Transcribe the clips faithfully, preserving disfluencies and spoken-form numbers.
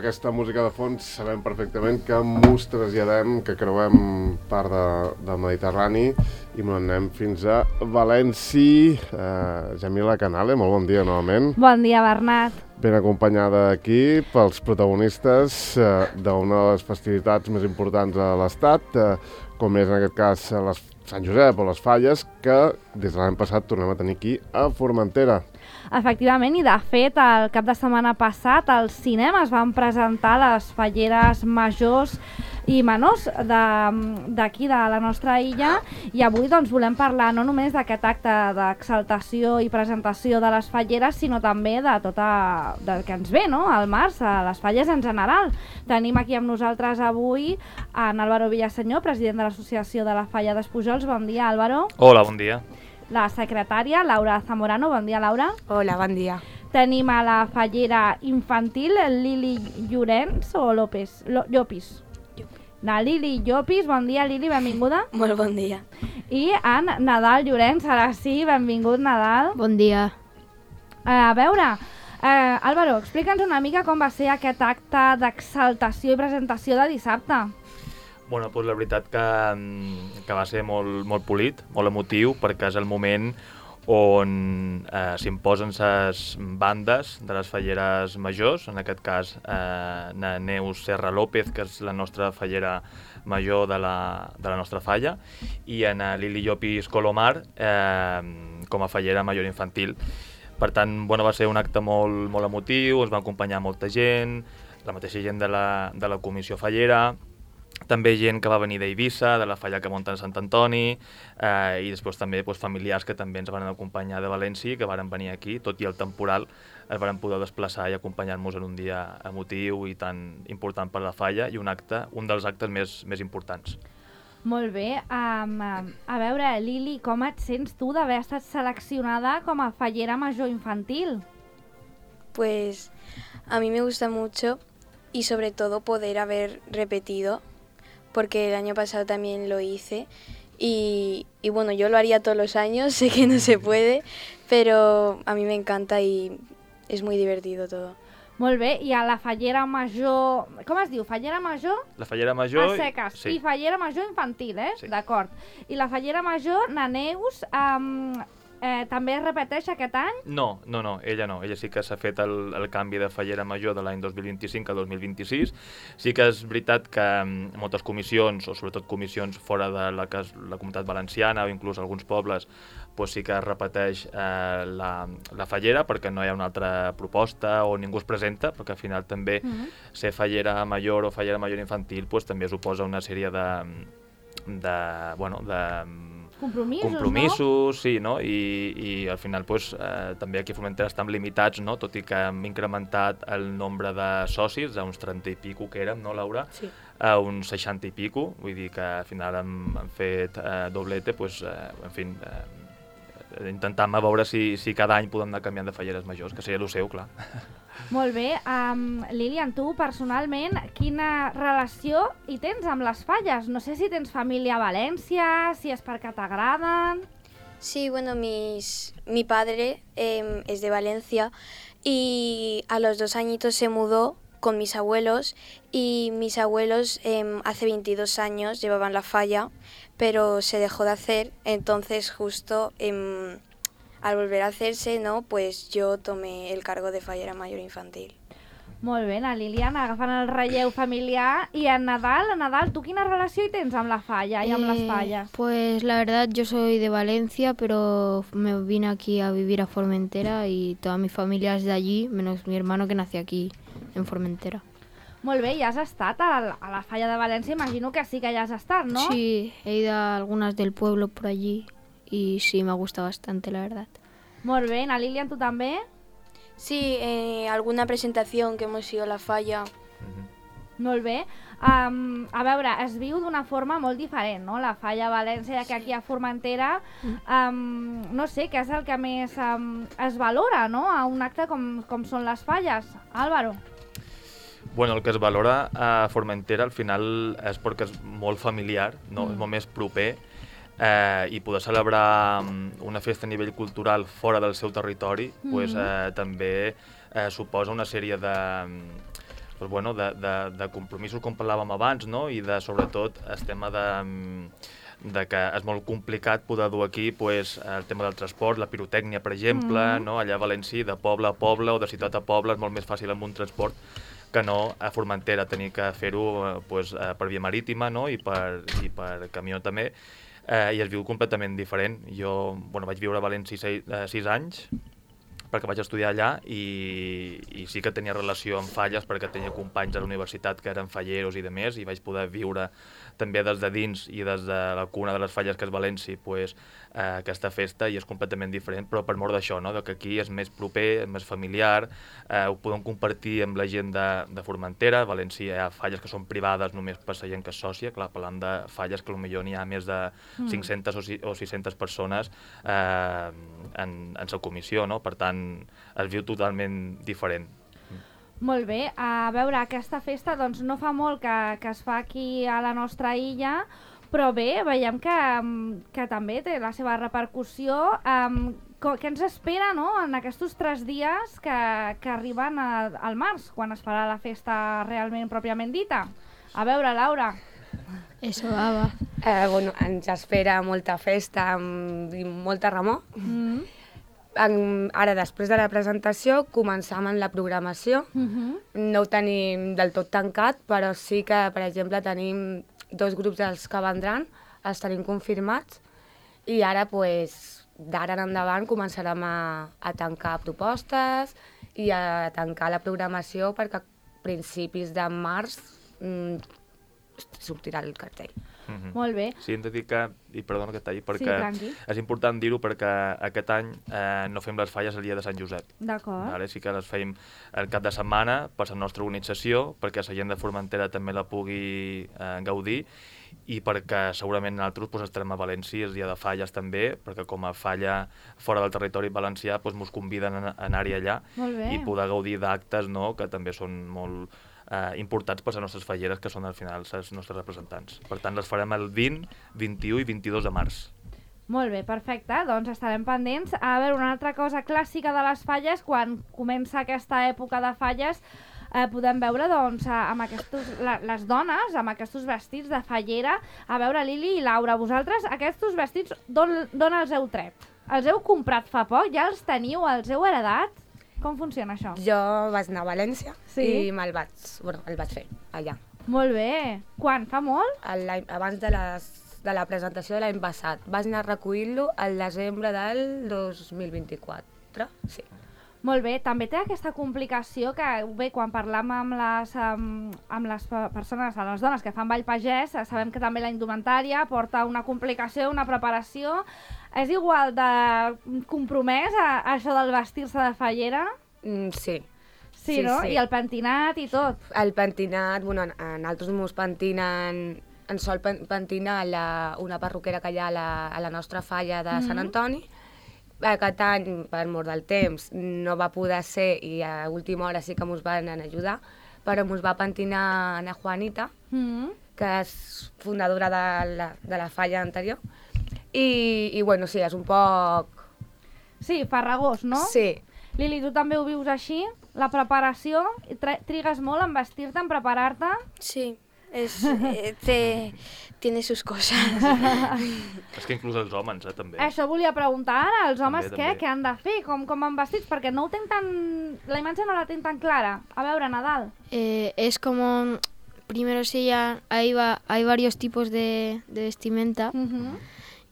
aquesta música de fons sabem perfectament que mos traslladem, que creuem part de, del Mediterrani i anem fins a València. Uh, Jamila Canale, molt bon dia novament. Bon dia, Bernat. Ben acompanyada aquí pels protagonistes uh, d'una de les festivitats més importants de l'Estat, uh, com és en aquest cas les Sant Josep o les Falles, que des de l'any passat tornem a tenir aquí a Formentera. Efectivament, i de fet, el cap de setmana passat als cinemes van presentar les falleres majors i menors d'aquí, de, de la nostra illa, i avui doncs, volem parlar no només d'aquest acte d'exaltació i presentació de les falleres, sinó també de tot a, del que ens ve, no?, al març, a les falles en general. Tenim aquí amb nosaltres avui en Álvaro Villaseñor, president de l'Associació de la Falla d'Espujols. Bon dia, Álvaro. Hola, bon dia. La secretària, Laura Zamorano. Bon dia, Laura. Hola, bon dia. Tenim a la fallera infantil, Lili Llorenç o López? Lo, Llopis. La Lili Llopis. Bon dia, Lili, benvinguda. Molt bon dia. I en Nadal Llorenç, ara sí, benvingut, Nadal. Bon dia. Uh, a veure, uh, Álvaro, explica'ns una mica com va ser aquest acte d'exaltació i presentació de dissabte. Bueno, doncs la veritat que, que va ser molt, molt polit, molt emotiu, perquè és el moment on eh, s'imposen les bandes de les falleres majors, en aquest cas eh, Neus Serra López, que és la nostra fallera major de la, de la nostra falla, i en Lili Llopis Colomar eh, com a fallera major infantil. Per tant, bueno, va ser un acte molt, molt emotiu, ens va acompanyar molta gent, la mateixa gent de la, de la comissió fallera, també gent que va venir d'Eivissa, de la falla que munta en Sant Antoni, eh, i després també doncs, familiars que també ens van acompanyar de València, que varen venir aquí, tot i el temporal, es varen poder desplaçar i acompanyar-nos en un dia emotiu i tan important per la falla, i un acte, un dels actes més, més importants. Molt bé. Um, a veure, Lili, com et sents tu d'haver estat seleccionada com a fallera major infantil? Pues a mí me gusta mucho y sobre todo poder haber repetido, porque el año pasado también lo hice y, y bueno, yo lo haría todos los años, sé que no se puede, pero a mí me encanta y es muy divertido todo. Molt bé, i a la fallera major... Com es diu? Fallera major? La fallera major... A seques. Sí. I fallera major infantil, eh? Sí. D'acord. I la fallera major, na Neus, um, eh, també es repeteix aquest any? No, no, no, ella no. Ella sí que s'ha fet el, el canvi de fallera major de l'any dos mil vint-i-cinc a dos mil vint-i-sis. Sí que és veritat que moltes comissions, o sobretot comissions fora de la, la comunitat valenciana o inclús alguns pobles, pues sí que es repeteix eh, la, la fallera perquè no hi ha una altra proposta o ningú es presenta, perquè al final també mm-hmm. ser fallera major o fallera major infantil pues, també suposa una sèrie de, de, bueno, de compromisos, compromisos no? Sí, no? I, i al final pues, eh, també aquí a Formentera estem limitats, no? Tot i que hem incrementat el nombre de socis a uns trenta i pico que érem, no, Laura? Sí. A uns seixanta i pico, vull dir que al final hem, hem fet eh, doblete, pues, eh, en fi, eh, intentant a veure si, si cada any podem anar canviant de falleres majors, que seria el seu, clar. Molt bé. Um, Lilian, tu personalment, quina relació hi tens amb les falles? No sé si tens família a València, si és perquè t'agraden... Sí, bueno, mis, mi padre eh, es de Valencia y a los dos añitos se mudó con mis abuelos y mis abuelos eh, hace veintidós años llevaban la falla, pero se dejó de hacer, entonces justo eh, al volver a hacerse, ¿no? Pues yo tomé el cargo de fallera mayor infantil. Molt bé, la Lilian agafant el relleu familiar. I en Nadal, en Nadal, tu quina relació hi tens amb la falla i amb eh, les falles? Pues la verdad yo soy de Valencia, pero me vine aquí a vivir a Formentera y toda mi familia es de allí, menos mi hermano que nació aquí en Formentera. Molt bé, ja has estat a la, a la falla de València, imagino que sí que ja has estat, ¿no? Sí, he ido a algunas del pueblo por allí y sí, me gusta bastante, la verdad. Molt bé, na Lilian, tu també? Sí, eh, alguna presentación que hemos ido a la falla. Mm-hmm. Molt bé. Um, a veure, es viu d'una forma molt diferent, no? La falla a València, ja que aquí a Formentera, um, no sé, què és el que més um, es valora, no?, a un acte com, com són les falles. Álvaro? Bueno, el que es valora a Formentera al final és perquè és molt familiar, no? Mm. És molt més proper, eh, i poder celebrar una festa a nivell cultural fora del seu territori mm-hmm. pues, eh, també eh, suposa una sèrie de, doncs, bueno, de, de, de compromisos, com parlàvem abans, no? I de, sobretot, el tema de, de que és molt complicat poder dur aquí pues, el tema del transport, la pirotècnia, per exemple, mm. no? Allà a València, de poble a poble o de ciutat a poble, és molt més fàcil amb un transport que no a Formentera, tenir que fer-ho pues, per via marítima, no? I, per, i per camió també, eh, i es viu completament diferent. Jo bueno, vaig viure a València sis, eh, sis anys, perquè vaig estudiar allà i, i sí que tenia relació amb falles perquè tenia companys a la universitat que eren falleros i de més, i vaig poder viure també des de dins i des de la cuna de les falles que és València pues, eh, aquesta festa, i és completament diferent, però per mort d'això, no? De que aquí és més proper, és més familiar, eh, ho podem compartir amb la gent de, de Formentera. A València hi ha falles que són privades només per la gent que és sòcia, clar, parlant de falles que potser n'hi ha més de mm. cinc-centes o sis-centes persones eh, en, en la comissió, no? Per tant, es viu totalment diferent. Molt bé, a veure, aquesta festa doncs, no fa molt que, que es fa aquí a la nostra illa, però bé, veiem que, que també té la seva repercussió. Um, què ens espera, no?, en aquests tres dies que, que arriben a, al març, quan es farà la festa realment pròpiament dita? A veure, Laura. Eso va, va. Eh, bueno, ens espera molta festa i molta remor. Mm. En, ara, després de la presentació, començam en la programació. Uh-huh. No ho tenim del tot tancat, però sí que, per exemple, tenim dos grups dels que vendran, els tenim confirmats, i ara, pues, d'ara en endavant, començarem a, a tancar propostes i a tancar la programació perquè a principis de març mm, sortirà el cartell. Mm-hmm. Molt bé. Sí, hem de dir que, i perdona que talli, perquè sí, és important dir-ho perquè aquest any eh, no fem les falles el dia de Sant Josep. D'acord. Vale? Sí que les fem el cap de setmana per la nostra organització, perquè la gent de Formentera també la pugui eh, gaudir, i perquè segurament nosaltres pues, estarem a València el dia de falles també, perquè com a falla fora del territori valencià pues, mos conviden a anar-hi allà i poder gaudir d'actes, no?, que també són molt eh, importants per les nostres falleres, que són al final els nostres representants. Per tant, les farem el vint, vint-i-u i vint-i-dos de març. Molt bé, perfecte, doncs estarem pendents. A veure, una altra cosa clàssica de les falles, quan comença aquesta època de falles, eh, podem veure doncs, amb aquestos, la, les dones, amb aquests vestits de fallera. A veure, Lili i Laura, vosaltres aquests vestits d'on els heu tret? Els heu comprat fa poc? Ja els teniu? Els heu heredat? Com funciona això? Jo vaig anar a València sí? i me'l vaig, bueno, el vaig fer allà. Molt bé. Quan? Fa molt? Abans de, les, de la presentació de l'any passat. Vaig anar a recollir-lo al desembre del dos mil vint-i-quatre. Sí. Molt bé. També té aquesta complicació que, bé, quan parlam amb les, amb, amb les persones, les dones que fan ball pagès, sabem que també la indumentària porta una complicació, una preparació. És igual de compromès a, a això del vestir-se de fallera? Mm, sí. Sí, sí, no? Sí. I el pentinat i tot. El pentinat, bueno, en altres mos pentinen, en sol pentina la, una perruquera que hi ha a la, a la nostra falla de mm-hmm. Sant Antoni. Aquest any, per mort del temps, no va poder ser i a última hora sí que mos van ajudar, però mos va pentinar Ana Juanita, mm-hmm. que és fundadora de la, de la falla anterior. I, i bueno, sí, és un poc... Sí, farragós, no? Sí. Lili, tu també ho vius així? La preparació? Trigues molt en vestir-te, en preparar-te? Sí, es, eh, té, tiene sus cosas. És que inclús els homes, eh, també. Això volia preguntar ara, els homes també, què? també. Què han de fer? Com, com van vestits? Perquè no ho tenc tan... La imatge no la tenc tan clara. A veure, Nadal. Eh, es como... Primero sí, ya hay, va, hay varios tipos de, de vestimenta. Uh-huh.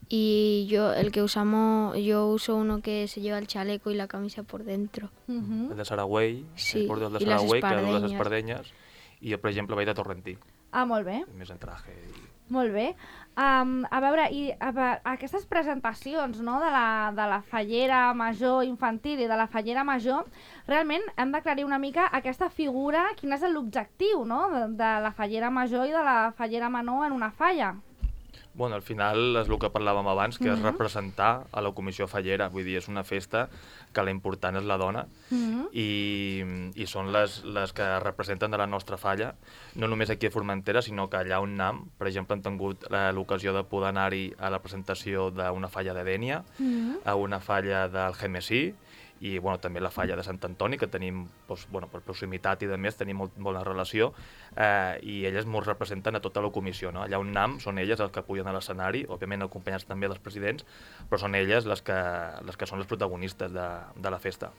Y yo, el que usamos, yo uso uno que se lleva el chaleco y la camisa por dentro. Uh-huh. El de Saragüell, sí. el de I les Saragüell, que du les espardenyes. espardenyes, i jo, per exemple, vaig de Torrentí. Ah, molt bé. Més en traje. I... Molt bé. Um, a veure, i a, a, aquestes presentacions, no?, de la, de la fallera major infantil i de la fallera major, realment hem d'aclarir una mica aquesta figura, quin és l'objectiu, no?, de, de la fallera major i de la fallera menor en una falla. Bueno, al final és el que parlàvem abans, que uh-huh. és representar a la comissió fallera. Vull dir, és una festa que la important és la dona uh-huh. i, i són les, les que representen de la nostra falla, no només aquí a Formentera, sinó que allà on anem, per exemple, hem tingut l'ocasió de poder anar-hi a la presentació d'una falla de Dénia, uh-huh. a una falla del Gemesí, i bueno, també la falla de Sant Antoni, que tenim, doncs, bueno, per proximitat i de més, tenim molt bona relació, eh, i elles ens representen a tota la comissió. No? Allà on anem són elles els que pugen a l'escenari, òbviament acompanyats també dels presidents, però són elles les que, les que són les protagonistes de, de la festa.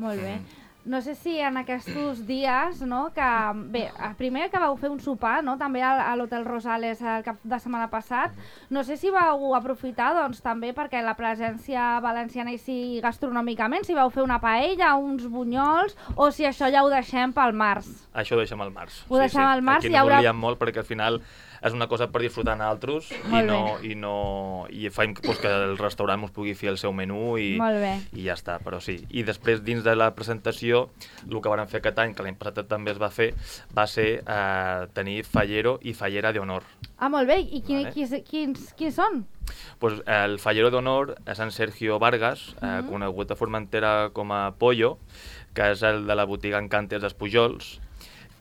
Molt bé. Mm. No sé si en aquests dies, no, que bé, primer que vau fer un sopar, no, també a, a l'Hotel Rosales el cap de setmana passat, no sé si vau aprofitar, doncs, també perquè la presència valenciana hi sigui gastronòmicament, si vau fer una paella, uns bunyols, o si això ja ho deixem pel març. Això ho deixem al març. Ho deixem al març. Aquí no haurà... volíem molt perquè al final és una cosa per disfrutar nosaltres i, no, i, no, i fem pues, que el restaurant ens pugui fer el seu menú i, i ja està, però sí. I després, dins de la presentació, el que vam fer aquest any, que l'any passat també es va fer, va ser eh, tenir fallero i fallera d'honor. Ah, molt bé. I qui, vale. qui, quins, quins són? Pues, el fallero d'honor és en Sergio Vargas, eh, mm-hmm. conegut a Formentera com a Pollo, que és el de la botiga Encantes dels Pujols,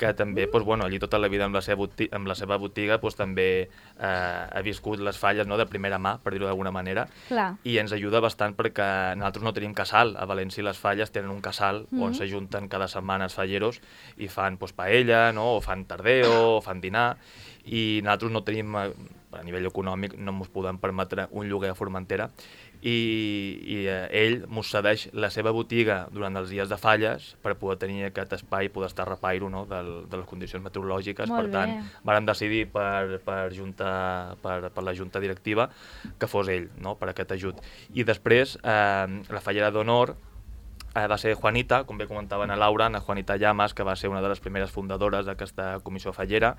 que també, doncs, bueno, allí tota la vida amb la seva botiga, amb la seva botiga doncs, també eh, ha viscut les falles, no, de primera mà, per dir-ho d'alguna manera. Clar. I ens ajuda bastant perquè nosaltres no tenim casal. A València les falles tenen un casal mm-hmm. on s'ajunten cada setmana els falleros i fan doncs, paella, no, o fan tardeo, o fan dinar, i nosaltres no tenim, a nivell econòmic, no ens podem permetre un lloguer a Formentera, i, i eh, ell ens cedeix la seva botiga durant els dies de falles per poder tenir aquest espai i poder estar a repairo, no, del, de les condicions meteorològiques. Molt per tant, bé. vàrem decidir per, per, junta, per, per la junta directiva que fos ell, no, per aquest ajut. I després, eh, la fallera d'honor Eh, va ser Juanita, com bé comentaven a Laura, Ana Juanita Llamas, que va ser una de les primeres fundadores d'aquesta comissió fallera,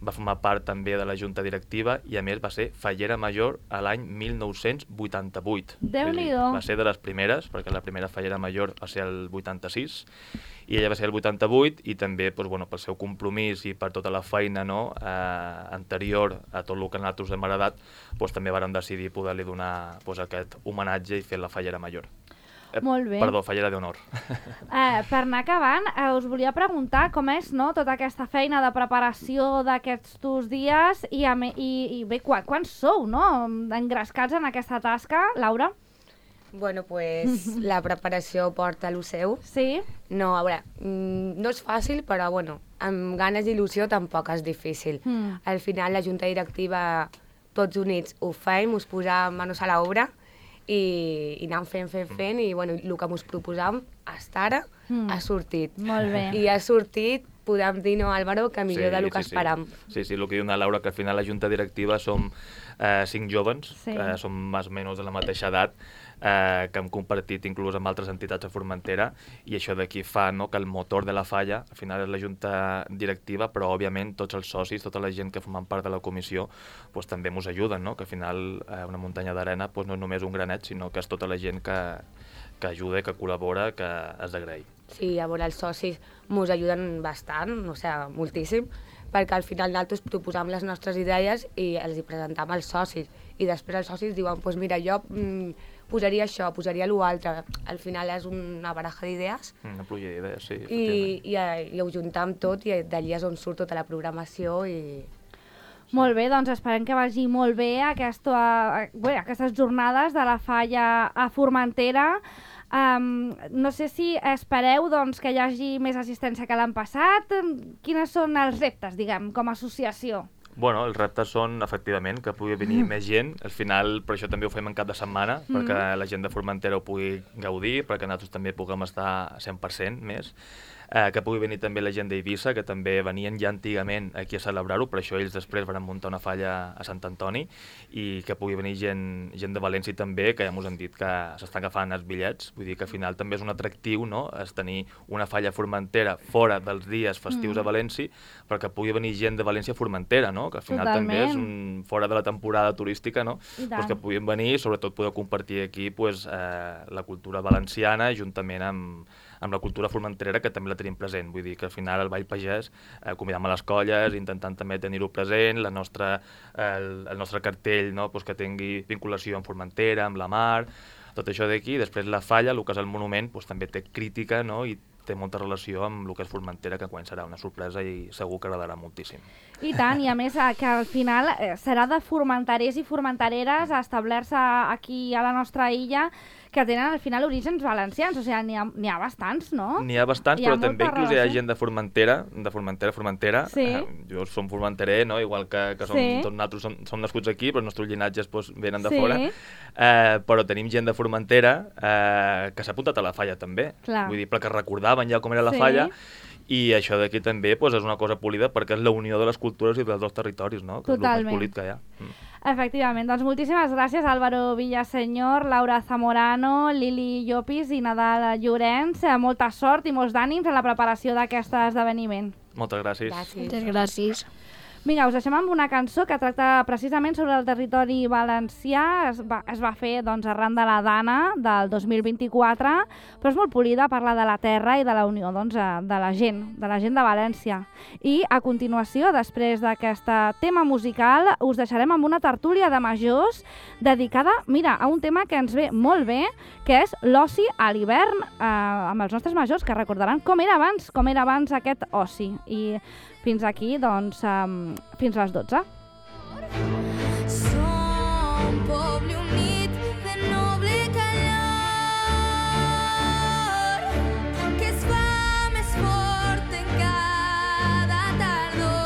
va formar part també de la junta directiva i a més va ser fallera major a l'any mil nou-cents vuitanta-vuit. Déu-n'hi-do. Va ser de les primeres, perquè la primera fallera major va ser el vuitanta-sis i ella va ser el vuitanta-vuit i també doncs, bueno, pel seu compromís i per tota la feina, no, eh, anterior a tot el que nosaltres hem heredat, doncs, també vàrem decidir poder-li donar doncs, aquest homenatge i fer la fallera major. Eh, Molt bé. Perdó, fallera d'honor. Eh, per anar acabant, eh, us volia preguntar com és, no, tota aquesta feina de preparació d'aquests dos dies i, a me, i, i bé, quan, quan sou, no, engrescats en aquesta tasca, Laura? Bueno, pues la preparació porta lo seu. Sí. No, a veure, no és fàcil, però bueno, amb ganes i il·lusió tampoc és difícil. Mm. Al final la junta directiva, tots units, ho fem, us posam manos a l'obra i, i anem fent, fent, fent, i bueno, el que ens proposam fins ara mm. ha sortit. Molt bé. I ha sortit, podem dir, no, Álvaro, que millor sí, del que sí, esperam. Sí, sí, el que diu una Laura, que al final la junta directiva som eh, cinc jovens, sí. que som més o menys de la mateixa edat, eh, que hem compartit inclús amb altres entitats a Formentera, i això d'aquí fa, no, que el motor de la falla al final és la junta directiva, però òbviament tots els socis, tota la gent que formen part de la comissió, pues, també ens ajuden, no? Que al final eh, una muntanya d'arena pues, no és només un granet, sinó que és tota la gent que, que ajuda, que col·labora, que has d'agrair. Sí, a veure, els socis ens ajuden bastant, o sigui, moltíssim, perquè al final nosaltres proposam les nostres idees i els hi presentam als socis, i després els socis diuen, pues mira, jo mm, posaria això, posaria l'altre. Al final és una baraja d'idees. Una pluja d'idees, sí. I, i, i ho juntam tot i d'allí és on surt tota la programació i... Molt bé, doncs esperem que vagi molt bé aquesta, bé, aquestes jornades de la falla a Formentera. Um, no sé si espereu doncs, que hi hagi més assistència que l'any passat. Quines són els reptes, diguem, com a associació? Bueno, els reptes són, efectivament, que pugui venir mm. més gent. Al final, per això també ho fem en cap de setmana, mm. perquè la gent de Formentera ho pugui gaudir, perquè nosaltres també puguem estar cent per cent més. Eh, que pugui venir també la gent d'Eivissa, que també venien ja antigament aquí a celebrar-ho, per això ells després van muntar una falla a Sant Antoni, i que pugui venir gent, gent de València també, que ja ens han dit que s'estan agafant els bitllets. Vull dir que al final també és un atractiu, no?, és tenir una falla a Formentera fora dels dies festius mm. a València, perquè pugui venir gent de València a Formentera, no?, que al final Totalment. també és un, fora de la temporada turística, no?, pues que puguin venir i sobretot poder compartir aquí pues, eh, la cultura valenciana juntament amb amb la cultura formenterera, que també la tenim present. Vull dir que al final el Ball Pagès eh, convidam a les colles, intentant també tenir-ho present, la nostra, el, el nostre cartell, no?, pues que tingui vinculació amb Formentera, amb la mar, tot això d'aquí. Després la falla, el que és el monument, pues també té crítica, no?, i té molta relació amb el que és Formentera, que quan serà una sorpresa i segur que agradarà moltíssim. I tant, i a més que al final serà de formenterers i formentereres establir-se aquí a la nostra illa, que tenen al final orígens valencians, o sigui, n'hi ha, n'hi ha bastants, no? N'hi ha bastants, Hi ha però també molta inclús hi ha relació. gent de Formentera, de Formentera, Formentera. Sí. Eh, jo som formenterer, no? Igual que, que som, Sí. tots nosaltres som, som nascuts aquí, però els nostres llinatges doncs, venen de Sí. fora. Eh, però tenim gent de Formentera eh, que s'ha apuntat a la falla també. Clar. Vull dir, perquè recordaven ja com era la Sí. falla, i això d'aquí també doncs, és una cosa polida perquè és la unió de les cultures i dels dos territoris, no? Que Totalment. és el més polit que hi ha. Mm. Efectivament, doncs moltíssimes gràcies Álvaro Villaseñor, Laura Zamorano, Lili Llopis i Nadal Llorenç. Eh, Molta sort i molts d'ànims en la preparació d'aquest esdeveniment. Moltes gràcies. Gràcies. Moltes gràcies. Vinga, us deixem amb una cançó que tracta precisament sobre el territori valencià. Es va, es va fer doncs, arran de la Dana del dos mil vint-i-quatre, però és molt polida, parla de la terra i de la unió doncs, eh, de la gent, de la gent de València. I a continuació, després d'aquest tema musical, us deixarem amb una tertúlia de majors dedicada, mira, a un tema que ens ve molt bé, que és l'oci a l'hivern, eh, amb els nostres majors, que recordaran com era abans, com era abans aquest oci. I fins aquí, doncs, um, fins a les dotze. Som poble unit de noble calor que es fa més fort en cada tardor.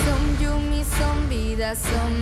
Som llum i som vida, som